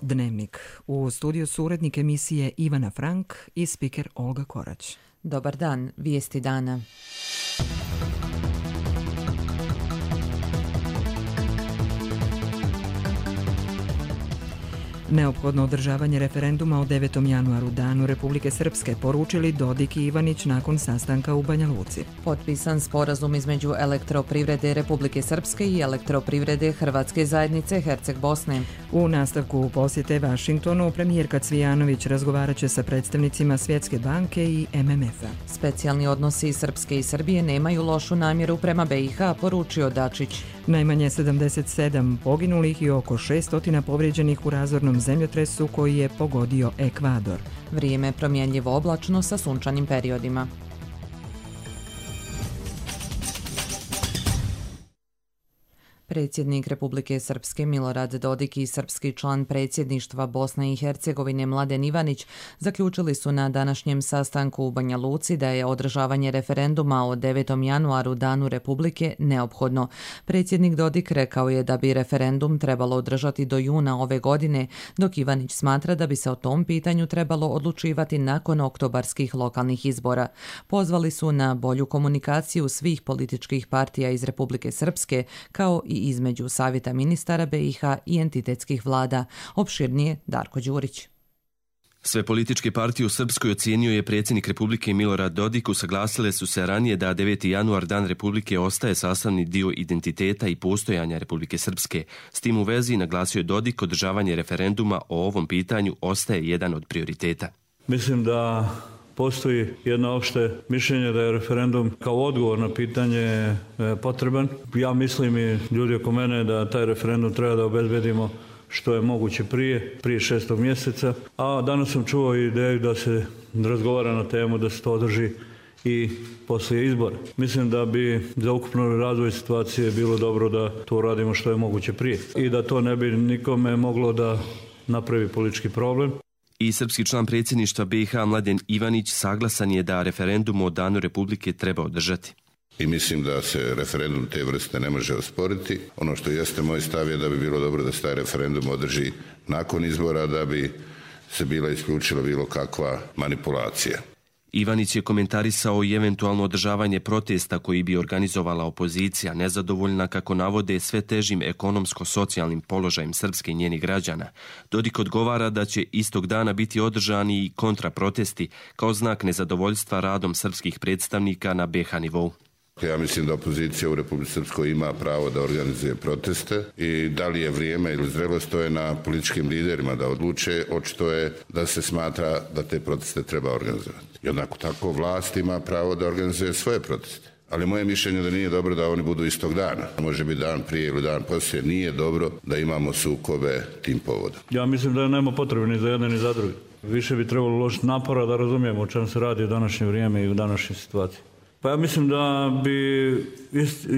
Dnevnik. U studiju su urednik emisije Ivana Frank i spiker Olga Korać. Dobar dan, vijesti dana. Neophodno održavanje referenduma o 9. januaru, danu Republike Srpske, poručili Dodik i Ivanić nakon sastanka u Banja Luci. Potpisan sporazum između Elektroprivrede Republike Srpske i Elektroprivrede Hrvatske zajednice Herceg Bosne. U nastavku posjete Vašingtonu, premijerka Cvijanović razgovarat će sa predstavnicima Svjetske banke i MMF-a. Specijalni odnosi Srpske i Srbije nemaju lošu namjeru prema BiH, poručio Dačić. Najmanje 77 poginulih i oko 600 povrijeđenih u razornom zemljotresu koji je pogodio Ekvador. Vrijeme promjenjivo oblačno sa sunčanim periodima. Predsjednik Republike Srpske Milorad Dodik i srpski član predsjedništva Bosne i Hercegovine Mladen Ivanić zaključili su na današnjem sastanku u Banja Luci da je održavanje referenduma o 9. januaru, danu Republike, neophodno. Predsjednik Dodik rekao je da bi referendum trebalo održati do juna ove godine, dok Ivanić smatra da bi se o tom pitanju trebalo odlučivati nakon oktobarskih lokalnih izbora. Pozvali su na bolju komunikaciju svih političkih partija iz Republike Srpske, kao i između Savjeta ministara BiH i entitetskih vlada. Opširnije Darko Đurić. Sve političke partije u Srpskoj ocijenio je predsjednik Republike Milorad Dodik. Usaglasile su se ranije da 9. januar, dan Republike, ostaje sastavni dio identiteta i postojanja Republike Srpske. S tim u vezi, naglasio je Dodik, održavanje referenduma o ovom pitanju ostaje jedan od prioriteta. Mislim da postoji jedno opšte mišljenje da je referendum kao odgovor na pitanje potreban. Ja mislim i ljudi oko mene da taj referendum treba da obezbedimo što je moguće prije 6. mjeseca. A danas sam čuo ideju da se razgovara na temu da se to održi i poslije izbora. Mislim da bi za ukupno razvoj situacije bilo dobro da to radimo što je moguće prije i da to ne bi nikome moglo da napravi politički problem. I srpski član predsjedništva BiH Mladen Ivanić saglasan je da referendum o danu Republike treba održati. I mislim da se referendum te vrste ne može osporiti. Ono što jeste moj stav je da bi bilo dobro da se taj referendum održi nakon izbora, da bi se bila isključila bilo kakva manipulacija. Ivanić je komentarisao i eventualno održavanje protesta koji bi organizovala opozicija, nezadovoljna, kako navode, sve težim ekonomsko-socijalnim položajem Srpske i njenih građana. Dodik odgovara da će istog dana biti održani i kontraprotesti kao znak nezadovoljstva radom srpskih predstavnika na BiH nivou. Ja mislim da opozicija u Republici Srpskoj ima pravo da organizuje proteste i da li je vrijeme ili zrelost, to je na političkim liderima da odluče. Očito je da se smatra da te proteste treba organizovati. Jednako tako vlast ima pravo da organizuje svoje proteste. Ali moje mišljenje da nije dobro da oni budu istog dana. Može biti dan prije ili dan poslije. Nije dobro da imamo sukobe tim povodom. Ja mislim da nema potrebe ni za jedne ni za druge. Više bi trebalo uložiti napora da razumijemo o čemu se radi u današnje vrijeme i u današnjoj situaciji. Pa ja mislim da bi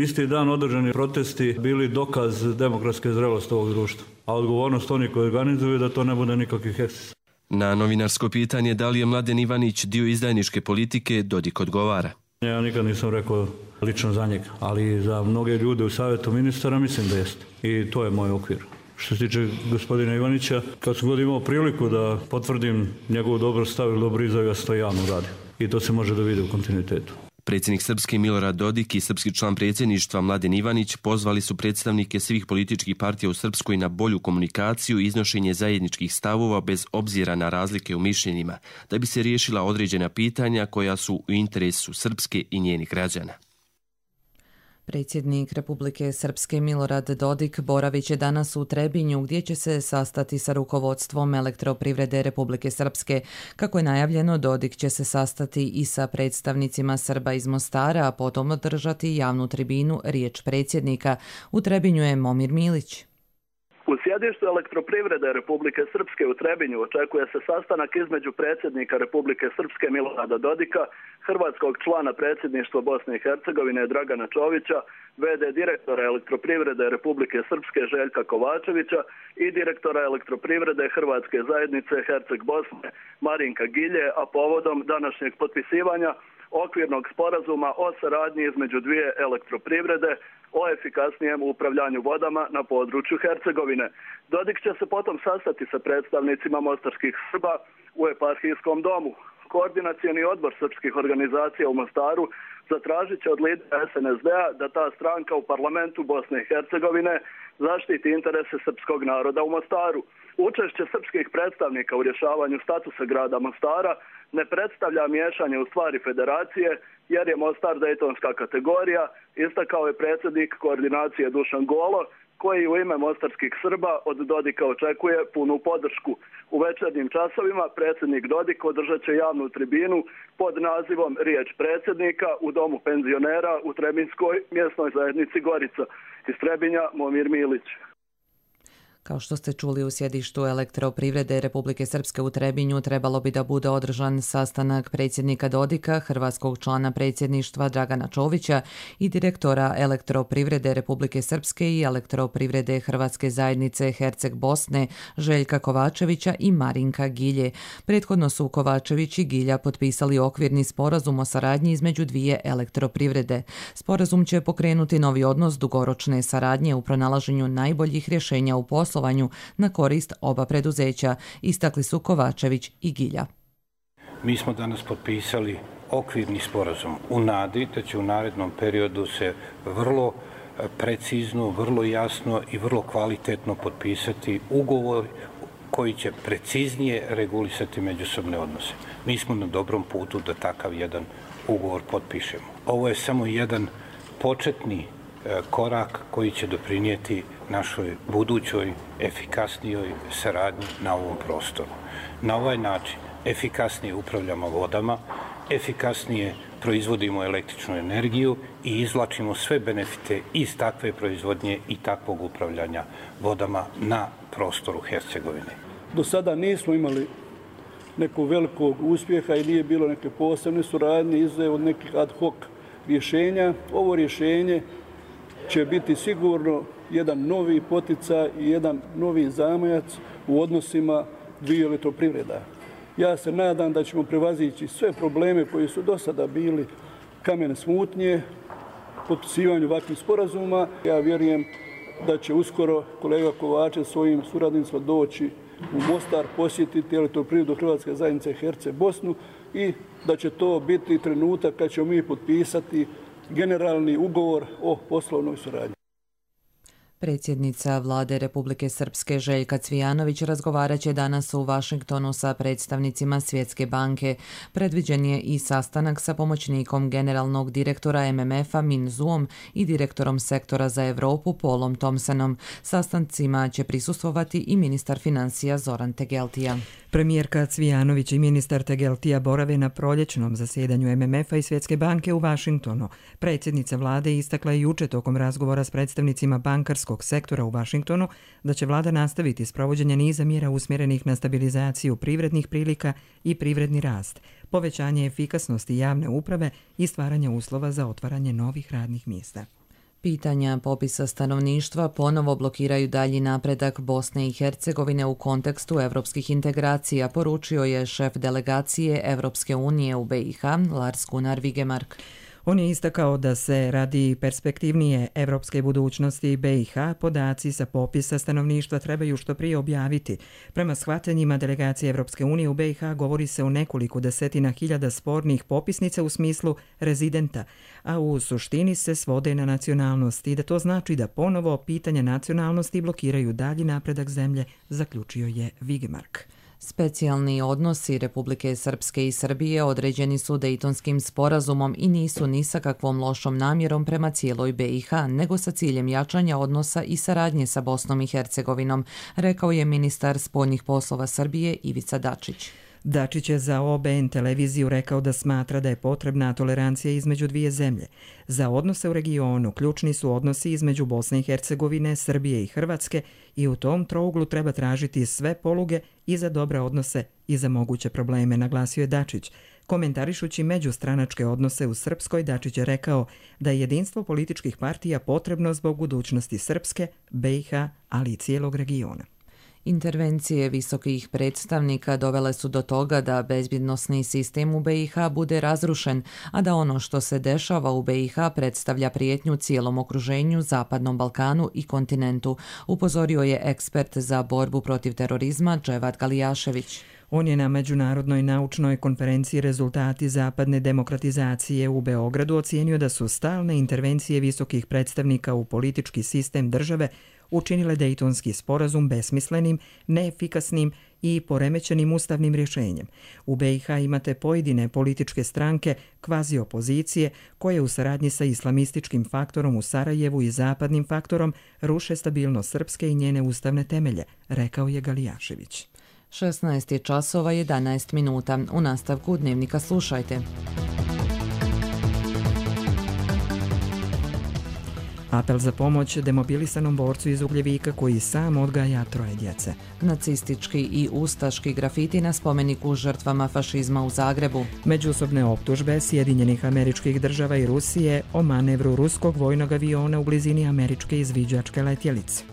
isti dan održani protesti bili dokaz demokratske zrelosti ovog društva. A odgovornost oni koji organizuju da to ne bude nikakvih ekscesa. Na novinarsko pitanje da li je Mladen Ivanić dio izdajničke politike, Dodik odgovara. Ja nikad nisam rekao lično za njega, ali za mnoge ljude u Savjetu ministara mislim da jeste. I to je moj okvir. Što se tiče gospodina Ivanića, kad sam god imao priliku da potvrdim njegovu dobro stav ili dobro izjavu, ja sam to javno radio. I to se može da vidi u kontinuitetu. Predsjednik Srpske Milorad Dodik i srpski član predsjedništva Mladen Ivanić pozvali su predstavnike svih političkih partija u Srpskoj na bolju komunikaciju i iznošenje zajedničkih stavova bez obzira na razlike u mišljenjima, da bi se riješila određena pitanja koja su u interesu Srpske i njenih građana. Predsjednik Republike Srpske Milorad Dodik boravit će danas u Trebinju, gdje će se sastati sa rukovodstvom Elektroprivrede Republike Srpske. Kako je najavljeno, Dodik će se sastati i sa predstavnicima Srba iz Mostara, a potom održati javnu tribinu Riječ predsjednika. U Trebinju je Momir Milić. U sjedištu Elektroprivrede Republike Srpske u Trebinju očekuje se sastanak između predsjednika Republike Srpske Milorada Dodika, hrvatskog člana predsjedništva Bosne i Hercegovine Dragana Čovića, v.d. direktora Elektroprivrede Republike Srpske Željka Kovačevića i direktora Elektroprivrede Hrvatske zajednice Herceg Bosne Marinka Gilje, a povodom današnjeg potpisivanja okvirnog sporazuma o saradnji između dvije elektroprivrede o efikasnijem upravljanju vodama na području Hercegovine. Dodik će se potom sastati sa predstavnicima mostarskih Srba u eparhijskom domu. Koordinacioni odbor srpskih organizacija u Mostaru zatražit će od lidera SNSD-a da ta stranka u parlamentu Bosne i Hercegovine zaštiti interese srpskog naroda u Mostaru. Učešće srpskih predstavnika u rješavanju statusa grada Mostara ne predstavlja miješanje u stvari federacije, jer je Mostar dejtonska kategorija, istakao je predsjednik koordinacije Dušan Golo, koji u ime mostarskih Srba od Dodika očekuje punu podršku. U večernjim časovima predsjednik Dodik održat će javnu tribinu pod nazivom Riječ predsjednika u domu penzionera u Trebinskoj mjesnoj zajednici Gorica. Iz Trebinja, Momir Milić. Kao što ste čuli, u sjedištu Elektroprivrede Republike Srpske u Trebinju trebalo bi da bude održan sastanak predsjednika Dodika, hrvatskog člana predsjedništva Dragana Čovića i direktora Elektroprivrede Republike Srpske i Elektroprivrede Hrvatske zajednice Herceg Bosne Željka Kovačevića i Marinka Gilje. Prethodno su Kovačević i Gilja potpisali okvirni sporazum o saradnji između dvije elektroprivrede. Sporazum će pokrenuti novi odnos dugoročne saradnje u pronalaženju najboljih rješenja u poslovanju na korist oba preduzeća, istakli su Kovačević i Gilja. Mi smo danas potpisali okvirni sporazum u nadi da će u narednom periodu se vrlo precizno, vrlo jasno i vrlo kvalitetno potpisati ugovor koji će preciznije regulisati međusobne odnose. Mi smo na dobrom putu da takav jedan ugovor potpišemo. Ovo je samo jedan početni korak koji će doprinijeti našoj budućoj efikasnijoj saradnji na ovom prostoru. Na ovaj način efikasnije upravljamo vodama, efikasnije proizvodimo električnu energiju i izvlačimo sve benefite iz takve proizvodnje i takvog upravljanja vodama na prostoru Hercegovine. Do sada nismo imali nekog velikog uspjeha i nije bilo neke posebne suradnje izuzev od nekih ad hoc rješenja. Ovo rješenje će biti sigurno jedan novi poticaj i jedan novi zamajac u odnosima dviju elektroprivreda. Ja se nadam da ćemo prevazići sve probleme koji su do sada bili kamen smutnje, potpisivanju ovakvih sporazuma. Ja vjerujem da će uskoro kolega Kovačev svojim suradnicima doći u Mostar, posjetiti elektroprivredu Hrvatske zajednice Herceg Bosnu i da će to biti trenutak kad ćemo mi potpisati generalni ugovor o poslovnoj suradnji. Predsjednica Vlade Republike Srpske Željka Cvijanović razgovarat će danas u Vašingtonu sa predstavnicima Svjetske banke. Predviđen je i sastanak sa pomoćnikom generalnog direktora MMF-a Min Zuom i direktorom sektora za Europu Paulom Thompsonom. Sastancima će prisustvovati i ministar financija Zoran Tegeltija. Premijerka Cvijanović i ministar Tegeltija borave na proljećnom zasjedanju MMF-a i Svjetske banke u Vašingtonu. Predsjednica vlade istakla je juče tokom razgovora s predstavnicima bankarskog sektora u Vašingtonu da će vlada nastaviti s provođenjem niza mjera usmjerenih na stabilizaciju privrednih prilika i privredni rast, povećanje efikasnosti javne uprave i stvaranje uslova za otvaranje novih radnih mjesta. Pitanja popisa stanovništva ponovo blokiraju dalji napredak Bosne i Hercegovine u kontekstu evropskih integracija, poručio je šef delegacije Evropske unije u BiH Lars Gunnar Vigemark. On je istakao da se radi perspektivnije evropske budućnosti BiH podaci sa popisa stanovništva trebaju što prije objaviti. Prema shvatanjima delegacije Evropske unije u BiH govori se o nekoliko desetina hiljada spornih popisnica u smislu rezidenta, a u suštini se svode na nacionalnost i da to znači da ponovo pitanja nacionalnosti blokiraju dalji napredak zemlje, zaključio je Vigemark. Specijalni odnosi Republike Srpske i Srbije određeni su Dejtonskim sporazumom i nisu ni sa kakvom lošom namjerom prema cijeloj BiH, nego sa ciljem jačanja odnosa i saradnje sa Bosnom i Hercegovinom, rekao je ministar spoljnih poslova Srbije Ivica Dačić. Dačić je za OBN televiziju rekao da smatra da je potrebna tolerancija između dvije zemlje. Za odnose u regionu ključni su odnosi između Bosne i Hercegovine, Srbije i Hrvatske i u tom trouglu treba tražiti sve poluge i za dobre odnose i za moguće probleme, naglasio je Dačić. Komentarišući međustranačke odnose u Srpskoj, Dačić je rekao da je jedinstvo političkih partija potrebno zbog budućnosti Srpske, BiH, ali i cijelog regiona. Intervencije visokih predstavnika dovele su do toga da bezbjednosni sistem u BiH bude razrušen, a da ono što se dešava u BiH predstavlja prijetnju cijelom okruženju, Zapadnom Balkanu i kontinentu, upozorio je ekspert za borbu protiv terorizma Dževad Galijašević. On je na Međunarodnoj naučnoj konferenciji Rezultati zapadne demokratizacije u Beogradu ocijenio da su stalne intervencije visokih predstavnika u politički sistem države učinile Dejtonski sporazum besmislenim, neefikasnim i poremećenim ustavnim rješenjem. U BiH imate pojedine političke stranke, kvazi opozicije, koje u saradnji sa islamističkim faktorom u Sarajevu i zapadnim faktorom ruše stabilnost Srpske i njene ustavne temelje, rekao je Galijašević. 16 časova 11 minuta. U nastavku Dnevnika slušajte. Apel za pomoć demobilisanom borcu iz Ugljevika koji sam odgaja 3 djece. Nacistički i ustaški grafiti na spomeniku žrtvama fašizma u Zagrebu. Međusobne optužbe Sjedinjenih Američkih Država i Rusije o manevru ruskog vojnog aviona u blizini američke izviđačke letjelice.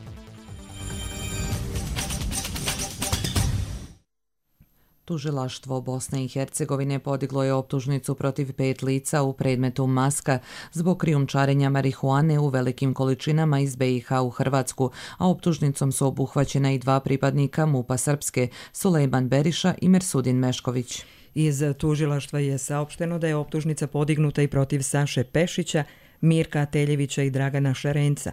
Tužilaštvo Bosne i Hercegovine podiglo je optužnicu protiv 5 lica u predmetu Maska zbog krijumčarenja marihuane u velikim količinama iz BiH u Hrvatsku, a optužnicom su obuhvaćena i 2 pripadnika MUP-a Srpske, Sulejman Beriša i Mersudin Mešković. Iz tužilaštva je saopšteno da je optužnica podignuta i protiv Saše Pešića, Mirka Teljevića i Dragana Šarenca.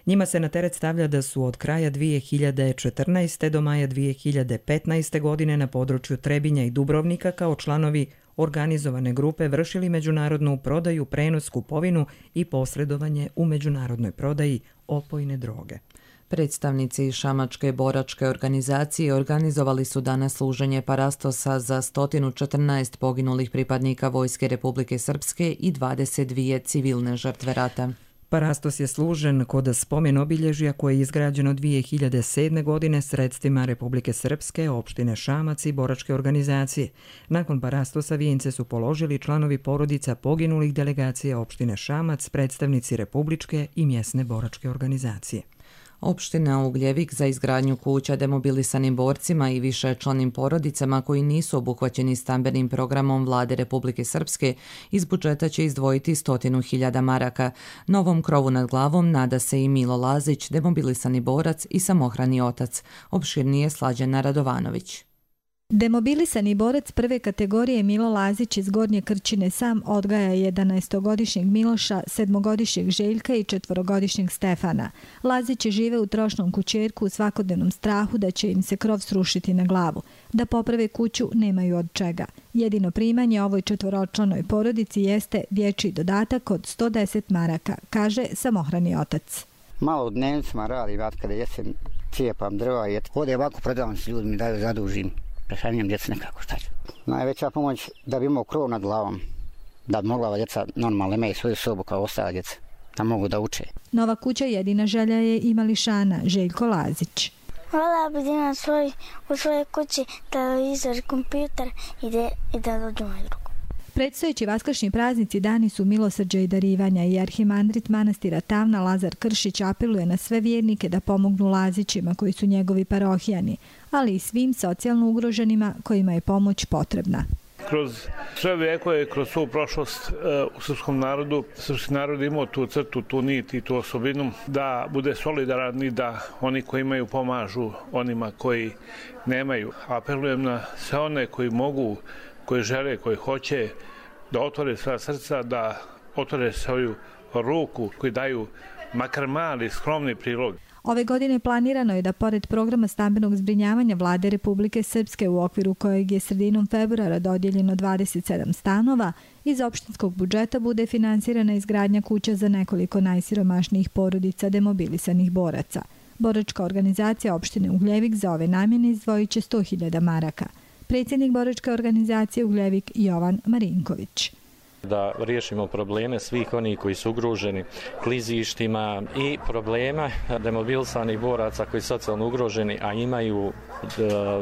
Njima se na teret stavlja da su od kraja 2014. do maja 2015. godine na području Trebinja i Dubrovnika kao članovi organizovane grupe vršili međunarodnu prodaju, prenos, kupovinu i posredovanje u međunarodnoj prodaji opojne droge. Predstavnici Šamačke boračke organizacije organizovali su danas služenje parastosa za 114 poginulih pripadnika Vojske Republike Srpske i 22 civilne žrtve rata. Parastos je služen kod spomen obilježja koje je izgrađeno 2007. godine sredstvima Republike Srpske, opštine Šamac i boračke organizacije. Nakon parastosa vijence su položili članovi porodica poginulih delegacija opštine Šamac, predstavnici Republičke i mjesne boračke organizacije. Opština Ugljevik za izgradnju kuća demobilisanim borcima i višečlanim porodicama koji nisu obuhvaćeni stambenim programom Vlade Republike Srpske iz budžeta će izdvojiti 100.000 maraka. Novom krovu nad glavom nada se i Milo Lazić, demobilisani borac i samohrani otac. Opširnije Slađana Radovanović. Demobilisani borac prve kategorije Milo Lazić iz Gornje Krčine sam odgaja 11-godišnjeg Miloša, 7-godišnjeg Željka i 4-godišnjeg Stefana. Lazić žive u trošnom kućerku u svakodnevnom strahu da će im se krov srušiti na glavu. Da poprave kuću nemaju od čega. Jedino primanje ovoj 4-članoj porodici jeste dječji dodatak od 110 maraka, kaže samohrani otac. Malo u dnevnicama radi, kada jesem cijepam drva i ovdje ovako prodavam se, ljudi mi daju, zadužim. Prešaljem djeca nekako šta ću. Najveća pomoć da bi imao krov nad glavom, da bi mogla djeca normalno imaju svoju sobu kao ostala djeca, da mogu da uče. Nova kuća jedina želja je i mališana Željko Lazić. Voljela bi da imam u svojoj kući televizor, kompjuter i da dođu moju ruku. Predstojeći vaskršnji praznici dani su milosrđa i darivanja i arhimandrit manastira Tavna Lazar Kršić apeluje na sve vjernike da pomognu Lazićima koji su njegovi parohijani, ali i svim socijalno ugroženima kojima je pomoć potrebna. Kroz sve vijekove, kroz svu prošlost u srpskom narodu, srpski narod imao tu crtu, tu nit i tu osobinu da bude solidaran i da oni koji imaju pomažu onima koji nemaju. Apelujem na sve one koji mogu, koji žele, koji hoće da otvore svoja srca, da otvore svoju ruku, koji daju makar mali, skromni prilog. Ove godine planirano je da pored programa stambenog zbrinjavanja Vlade Republike Srpske u okviru kojeg je sredinom februara dodijeljeno 27 stanova, iz opštinskog budžeta bude finansirana izgradnja kuća za nekoliko najsiromašnijih porodica demobilisanih boraca. Boračka organizacija opštine Ugljevik za ove namjene izdvojit će 100.000 maraka. Predsjednik boračke organizacije Ugljevik Jovan Marinković. Da riješimo probleme svih onih koji su ugroženi klizištima i problema demobilisanih boraca koji su socijalno ugroženi, a imaju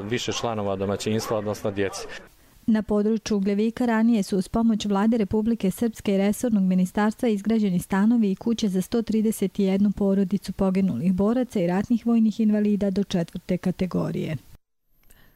više članova domaćinstva, odnosno djece. Na području Ugljevika ranije su uz pomoć Vlade Republike Srpske i resornog ministarstva izgrađeni stanovi i kuće za 131 porodicu poginulih boraca i ratnih vojnih invalida do 4. kategorije.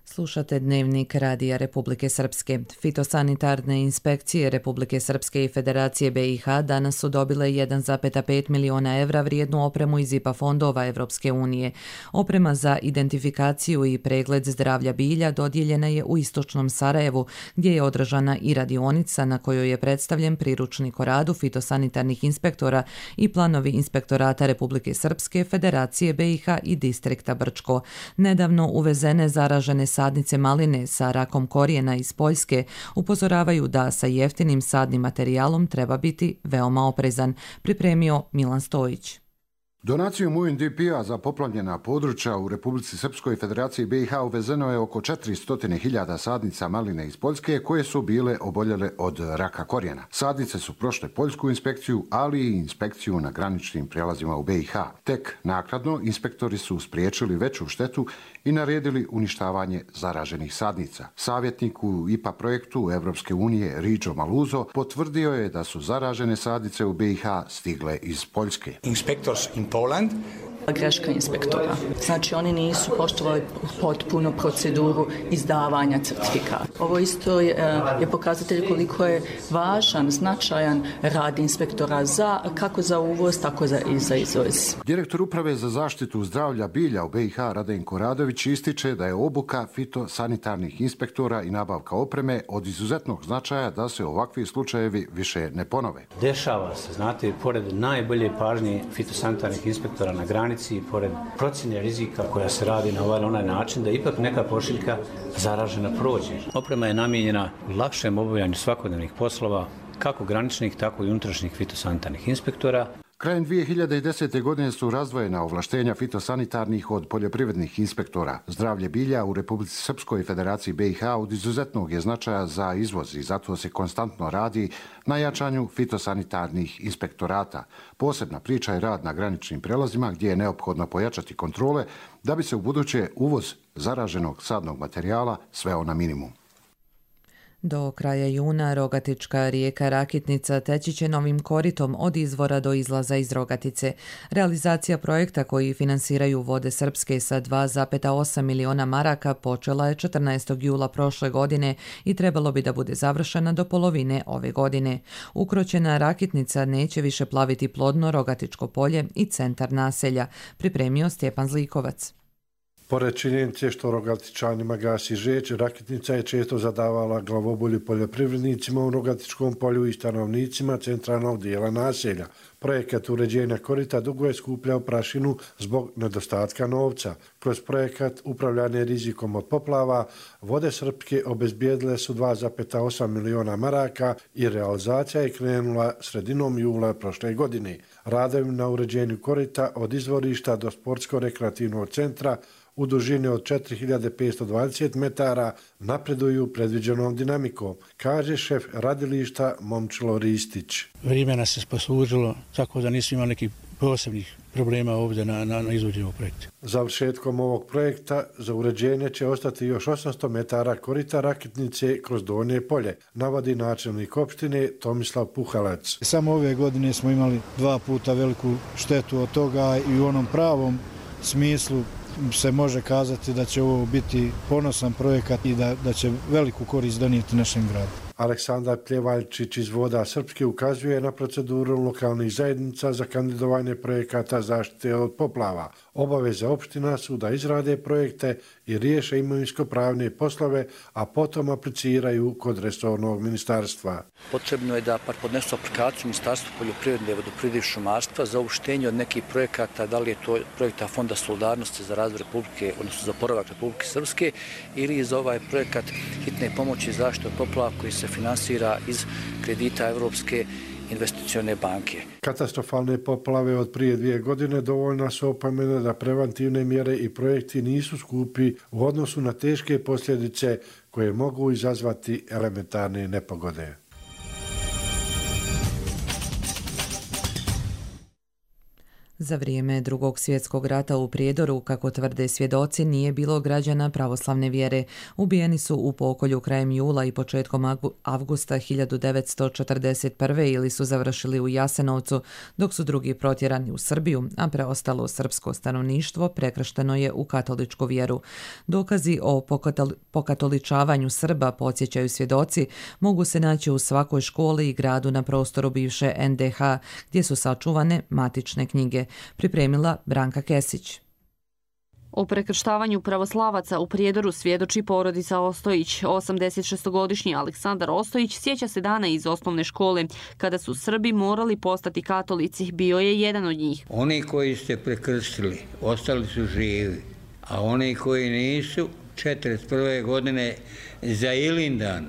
Slušate Dnevnik Radija Republike Srpske. Fitosanitarne inspekcije Republike Srpske i Federacije BiH danas su dobile 1,5 miliona evra vrijednu opremu iz IPA fondova Evropske unije. Oprema za identifikaciju i pregled zdravlja bilja dodijeljena je u istočnom Sarajevu, gdje je održana i radionica na kojoj je predstavljen priručnik o radu fitosanitarnih inspektora i planovi Inspektorata Republike Srpske, Federacije BiH i distrikta Brčko. Nedavno uvezene zaražene sadnice maline sa rakom korijena iz Poljske upozoravaju da sa jeftinim sadnim materijalom treba biti veoma oprezan, pripremio Milan Stojić. Donacijom UNDP-a za poplavljena područja u Republici Srpskoj i Federaciji BiH uvezeno je oko 400.000 sadnica maline iz Poljske koje su bile oboljele od raka korijena. Sadnice su prošle poljsku inspekciju, ali i inspekciju na graničnim prijelazima u BiH. Tek naknadno inspektori su spriječili veću štetu i naredili uništavanje zaraženih sadnica. Savjetnik u IPA projektu Evropske unije Riđo Maluzo potvrdio je da su zaražene sadnice u BiH stigle iz Poljske. Inspectors in Poland. Greška inspektora. Znači oni nisu poštovali potpuno proceduru izdavanja certifikata. Ovo isto je pokazatelj koliko je važan, značajan rad inspektora kako za uvoz, tako i za izvoz. Direktor Uprave za zaštitu zdravlja bilja u BiH Radenko Radović ističe da je obuka fitosanitarnih inspektora i nabavka opreme od izuzetnog značaja da se ovakvi slučajevi više ne ponove. Dešava se, znate, pored najbolje pažnje fitosanitarnih inspektora na granici, pored procjene rizika koja se radi na ovaj onaj način, da ipak neka pošiljka zaražena prođe. Oprema je namijenjena lakšem obavljanju svakodnevnih poslova, kako graničnih, tako i unutrašnjih fitosanitarnih inspektora. Krajem 2010. godine su razdvojena ovlaštenja fitosanitarnih od poljoprivrednih inspektora. Zdravlje bilja u Republici Srpskoj i Federaciji BiH od izuzetnog je značaja za izvoz i zato se konstantno radi na jačanju fitosanitarnih inspektorata. Posebna priča je rad na graničnim prelazima gdje je neophodno pojačati kontrole da bi se u buduće uvoz zaraženog sadnog materijala sveo na minimum. Do kraja juna Rogatička rijeka Rakitnica teći će novim koritom od izvora do izlaza iz Rogatice. Realizacija projekta koji finansiraju Vode Srpske sa 2,8 miliona maraka počela je 14. jula prošle godine i trebalo bi da bude završena do polovine ove godine. Ukroćena Rakitnica neće više plaviti plodno Rogatičko polje i centar naselja, pripremio Stjepan Zlikovac. Pored činjenice što Rogatičanima gasi žeđ, Rakitnica je često zadavala glavobolju poljoprivrednicima u Rogatičkom polju i stanovnicima centralnog dijela naselja. Projekat uređenja korita dugo je skupljao prašinu zbog nedostatka novca. Kroz projekat upravljanje rizikom od poplava, Vode Srpske obezbijedile su 2,8 miliona maraka i realizacija je krenula sredinom jula prošle godine. Radovi na uređenju korita od izvorišta do sportsko-rekreativnog centra u dužini od 4520 metara napreduju predviđenom dinamikom, kaže šef radilišta Momčilo Ristić. Vrijeme nas je poslužilo, tako da nismo imali nekih posebnih problema ovdje na izvođenju projekta. Završetkom ovog projekta za uređenje će ostati još 800 metara korita Rakitnice kroz Donje polje, navodi načelnik opštine Tomislav Puhalac. Samo ove godine smo imali 2 puta veliku štetu od toga i u onom pravom smislu se može kazati da će ovo biti ponosan projekat i da će veliku korist donijeti našem gradu. Aleksandar Pljevaljčić iz Voda Srpske ukazuje na proceduru lokalnih zajednica za kandidovanje projekata zaštite od poplava. Obaveze opština su da izrade projekte i riješe imovinsko-pravne poslove, a potom apliciraju kod resornog ministarstva. Potrebno je da podnesu aplikaciju Ministarstva poljoprivrede, vodoprivrede i šumarstva za uopštenje od nekih projekata, da li je to projekta Fonda solidarnosti za razvoj Republike, odnosno za oporavak Republike Srpske, ili za ovaj projekat hitne pomoći i zaštite od poplava koji se finansira iz kredita Evropske investicione banke. Katastrofalne poplave od prije 2 godine dovoljna su opomene da preventivne mjere i projekti nisu skupi u odnosu na teške posljedice koje mogu izazvati elementarne nepogode. Za vrijeme Drugog svjetskog rata u Prijedoru, kako tvrde svjedoci, nije bilo građana pravoslavne vjere. Ubijeni su u pokolju krajem jula i početkom avgusta 1941. ili su završili u Jasenovcu, dok su drugi protjerani u Srbiju, a preostalo srpsko stanovništvo prekršteno je u katoličku vjeru. Dokazi o pokatoličavanju Srba, podsjećaju svjedoci, mogu se naći u svakoj školi i gradu na prostoru bivše NDH, gdje su sačuvane matične knjige. Pripremila Branka Kesić. O prekrštavanju pravoslavaca u Prijedoru svjedoči porodica Ostojić. 86-godišnji Aleksandar Ostojić sjeća se dana iz osnovne škole, kada su Srbi morali postati katolici. Bio je jedan od njih. Oni koji ste prekrstili, ostali su živi, a oni koji nisu, 41. godine za Ilindan,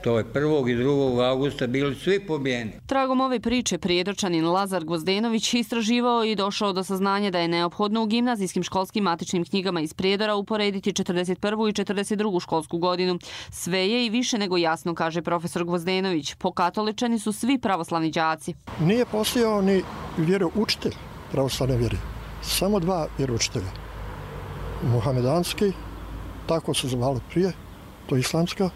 to je 1. i 2. augusta, bili svi pobijeni. Tragom ove priče prijedorčanin Lazar Gvozdenović istraživao i došao do saznanja da je neophodno u gimnazijskim školskim matičnim knjigama iz Prijedora uporediti 41. i 42. školsku godinu. Sve je i više nego jasno, kaže profesor Gvozdenović. Pokatoličani su svi pravoslavni đaci. Nije postojao ni vjeroučitelj pravoslavne vjere. Samo 2 vjeroučitelja. Muhamedanski, tako se zvalo prije, to je islamska,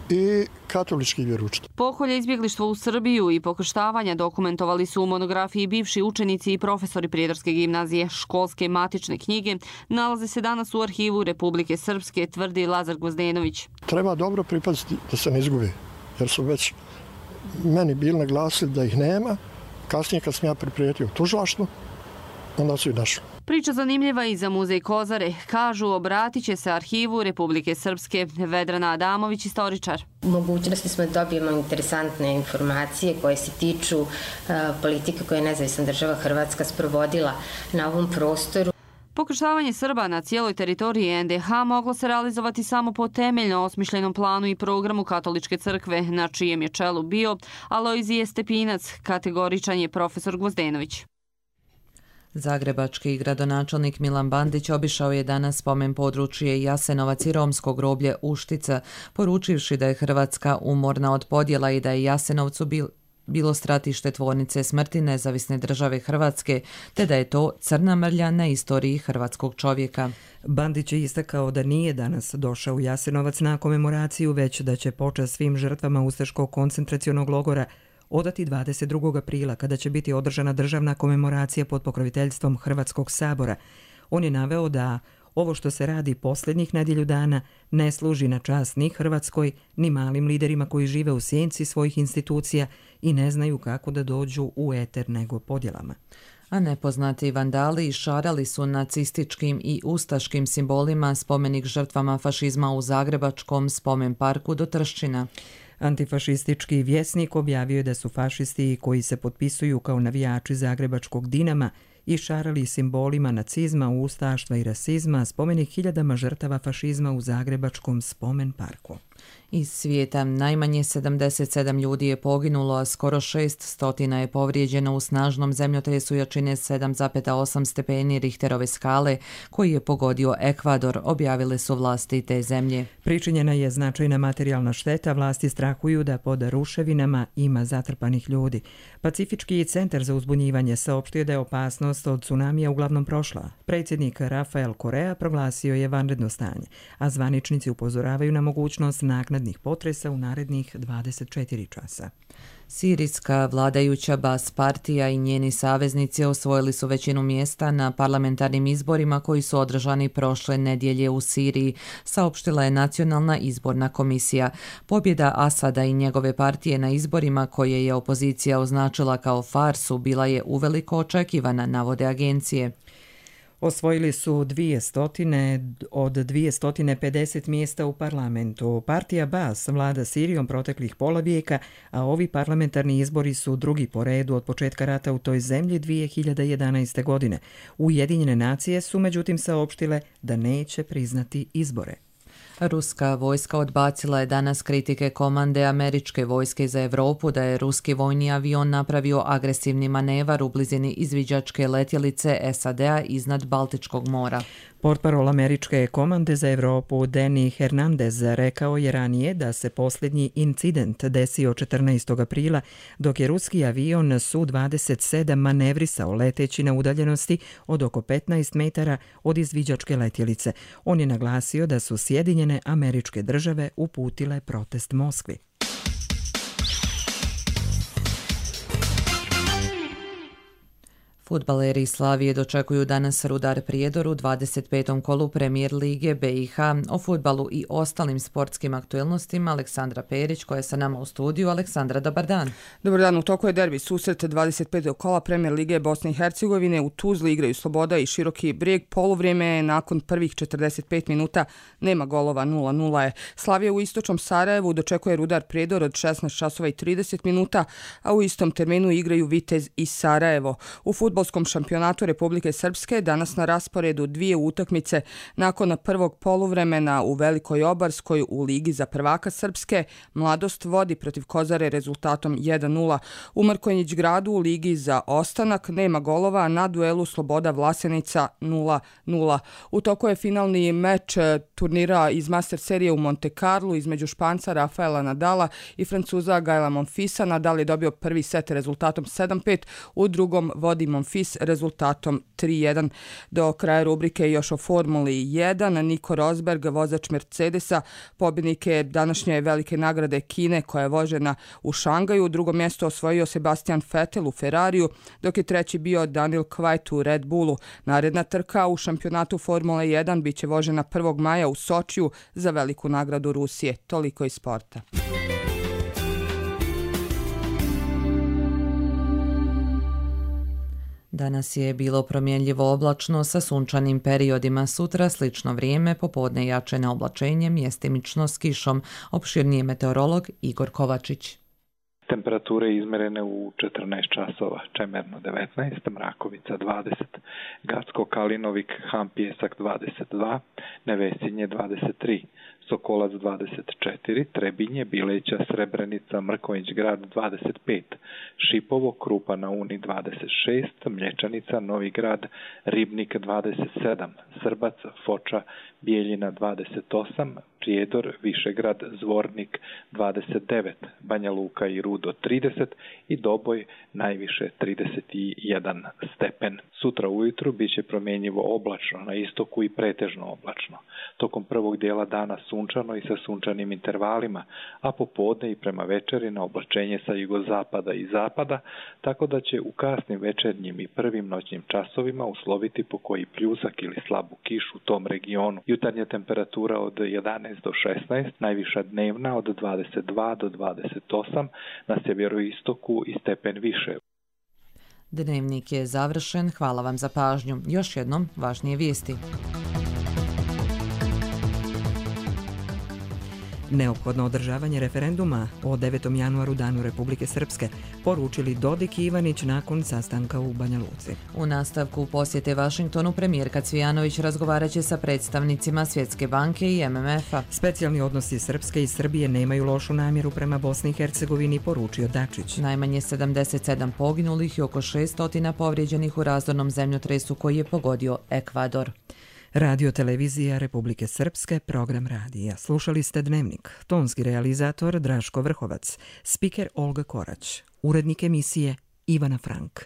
i katolički vjeroučitelj. Pokolje izbjeglištva u Srbiju i pokrštavanja dokumentovali su u monografiji bivši učenici i profesori Prijedorske gimnazije. Školske matične knjige nalaze se danas u arhivu Republike Srpske, tvrdi Lazar Gvozdenović. Treba dobro pripaziti da se ne izgube, jer su već meni bili naglasili da ih nema. Kasnije kad sam ja priprijetio tužilaštvo, onda su i našli. Priča zanimljiva i za muzej Kozare. Kažu, obratit će se arhivu Republike Srpske. Vedrana Adamović, istoričar. Mogućnosti smo da dobijemo interesantne informacije koje se tiču politike koje je nezavisna država Hrvatska sprovodila na ovom prostoru. Pokrštavanje Srba na cijeloj teritoriji NDH moglo se realizovati samo po temeljno osmišljenom planu i programu Katoličke crkve, na čijem je čelu bio Alojzije Stepinac, kategoričan je profesor Gvozdenović. Zagrebački gradonačelnik Milan Bandić obišao je danas spomen područje Jasenovac i romsko groblje Uštica, poručivši da je Hrvatska umorna od podjela i da je Jasenovcu bilo stratište tvornice smrti nezavisne države Hrvatske, te da je to crna mrlja na istoriji hrvatskog čovjeka. Bandić je istakao da nije danas došao u Jasenovac na komemoraciju, već da će počast svim žrtvama ustaškog koncentracionog logora odati 22. aprila, kada će biti održana državna komemoracija pod pokroviteljstvom Hrvatskog sabora. On je naveo da ovo što se radi posljednjih nedjelju dana ne služi na čast ni Hrvatskoj, ni malim liderima koji žive u sjenci svojih institucija i ne znaju kako da dođu u eter nego podjelama. A nepoznati vandali išarali su nacističkim i ustaškim simbolima spomenik žrtvama fašizma u Zagrebačkom spomen parku do Trščina. Antifašistički vjesnik objavio je da su fašisti koji se potpisuju kao navijači Zagrebačkog Dinama išarali simbolima nacizma, ustaštva i rasizma spomenik hiljadama žrtava fašizma u Zagrebačkom spomen parku. Iz svijeta najmanje 77 ljudi je poginulo, a skoro 600 je povrijeđeno u snažnom zemljotresu jačine 7,8 stepeni Richterove skale koji je pogodio Ekvador, objavile su vlasti te zemlje. Pričinjena je značajna materijalna šteta, vlasti strahuju da pod ruševinama ima zatrpanih ljudi. Pacifički centar za uzbunjivanje saopštio da je opasnost od tsunamija uglavnom prošla. Predsjednik Rafael Correa proglasio je vanredno stanje, a zvaničnici upozoravaju na mogućnost naknadnih potresa u narednih 24 časa. Sirijska vladajuća Bas partija i njeni saveznici osvojili su većinu mjesta na parlamentarnim izborima koji su održani prošle nedjelje u Siriji, saopštila je Nacionalna izborna komisija. Pobjeda Asada i njegove partije na izborima koje je opozicija označila kao farsu bila je uveliko očekivana, navode agencije. Osvojili su 200 od 250 mjesta u parlamentu. Partija Bas vlada Sirijom proteklih pola vijeka, a ovi parlamentarni izbori su drugi po redu od početka rata u toj zemlji 2011. godine. Ujedinjene nacije su međutim saopštile da neće priznati izbore. Ruska vojska odbacila je danas kritike komande američke vojske za Europu da je ruski vojni avion napravio agresivni manevar u blizini izviđačke letjelice SAD-a iznad Baltičkog mora. Portparol američke komande za Evropu Danny Hernandez rekao je ranije da se posljednji incident desio 14. aprila dok je ruski avion Su-27 manevrisao leteći na udaljenosti od oko 15 metara od izviđačke letjelice. On je naglasio da su Sjedinjene Američke Države uputile protest Moskvi. Fudbaleri Slavije dočekuju danas Rudar Prijedor u 25. kolu Premijer lige BiH. O fudbalu i ostalim sportskim aktualnostima Aleksandra Perić koja je sa nama u studiju. Aleksandra, dobar dan. Dobar dan, u toku je derbi susret 25. kola Premijer lige Bosne i Hercegovine. U Tuzli igraju Sloboda i Široki Brijeg. Poluvrijeme je nakon prvih 45 minuta, nema golova, 0-0 je. Slavija u istočnom Sarajevu dočekuje Rudar Prijedor od 16 časova i 30 minuta, a u istom terminu igraju Vitez i Sarajevo. U fudbalskom šampionatu Republike Srpske danas na rasporedu dvije utakmice nakon prvog poluvremena u Velikoj Obarskoj u Ligi za prvaka Srpske. Mladost vodi protiv Kozare rezultatom 1-0. U Mrkonjić gradu u Ligi za ostanak nema golova, na duelu Sloboda Vlasenica 0-0. U toku je finalni meč turnira iz Master serije u Monte Carlo između Španca Rafaela Nadala i Francuza Gaela Monfisa. Nadal je dobio prvi set rezultatom 7-5, u drugom vodi Monfis rezultatom 3-1. Do kraja rubrike još o Formuli 1. Nico Rosberg, vozač Mercedesa, pobjednik je današnje velike nagrade Kine koja je vožena u Šangaju. Drugo mjesto osvojio Sebastian Vettel u Ferrariju, dok je treći bio Daniel Kvyat u Red Bullu. Naredna trka u šampionatu Formule 1 bit će vožena 1. maja u Sočiju za veliku nagradu Rusije. Toliko iz sporta. Danas je bilo promjenljivo oblačno sa sunčanim periodima. Sutra slično vrijeme, popodne jače na oblačenje, mjestimično s kišom. Opširnije meteorolog Igor Kovačić. Temperature izmerene u 14 časova, Čemerno 19, Mrakovica 20, Gacko Kalinovik, Han Pjesak 22, Nevesinje 23, Sokolac 24, Trebinje, Bileća, Srebrenica, Mrkonjić grad 25, Šipovo, Krupa na Uni 26, Mlječanica, Novi grad, Ribnik 27, Srbac, Foča, Bijeljina 28, Prijedor, Višegrad, Zvornik 29, Banja Luka i Rudo 30 i Doboj najviše 31 stepen. Sutra ujutru bit će promjenjivo oblačno, na istoku i pretežno oblačno. Tokom prvog dijela dana sunčano i sa sunčanim intervalima, a popodne i prema večeri na oblačenje sa jugozapada i zapada, tako da će u kasnim večernjim i prvim noćnim časovima usloviti po koji pljusak ili slabu kišu u tom regionu. Jutarnja temperatura od 11 do 16, najviša dnevna od 22 do 28, na sjeveroistoku i stepen više. Dnevnik je završen, hvala vam za pažnju. Još jednom važnije vijesti. Neophodno održavanje referenduma o 9. januaru Danu Republike Srpske, poručili Dodik i Ivanić nakon sastanka u Banja Luci. U nastavku posjete Vašingtonu premijerka Cvijanović razgovarat će sa predstavnicima Svjetske banke i MMF-a. Specijalni odnosi Srpske i Srbije nemaju lošu namjeru prema Bosni i Hercegovini, poručio Dačić. Najmanje 77 poginulih i oko 600 povrijeđenih u razdornom zemljotresu koji je pogodio Ekvador. Radio Televizija Republike Srpske, program radija. Slušali ste Dnevnik. Tonski realizator Draško Vrhovac, spiker Olga Korać, urednik emisije Ivana Frank.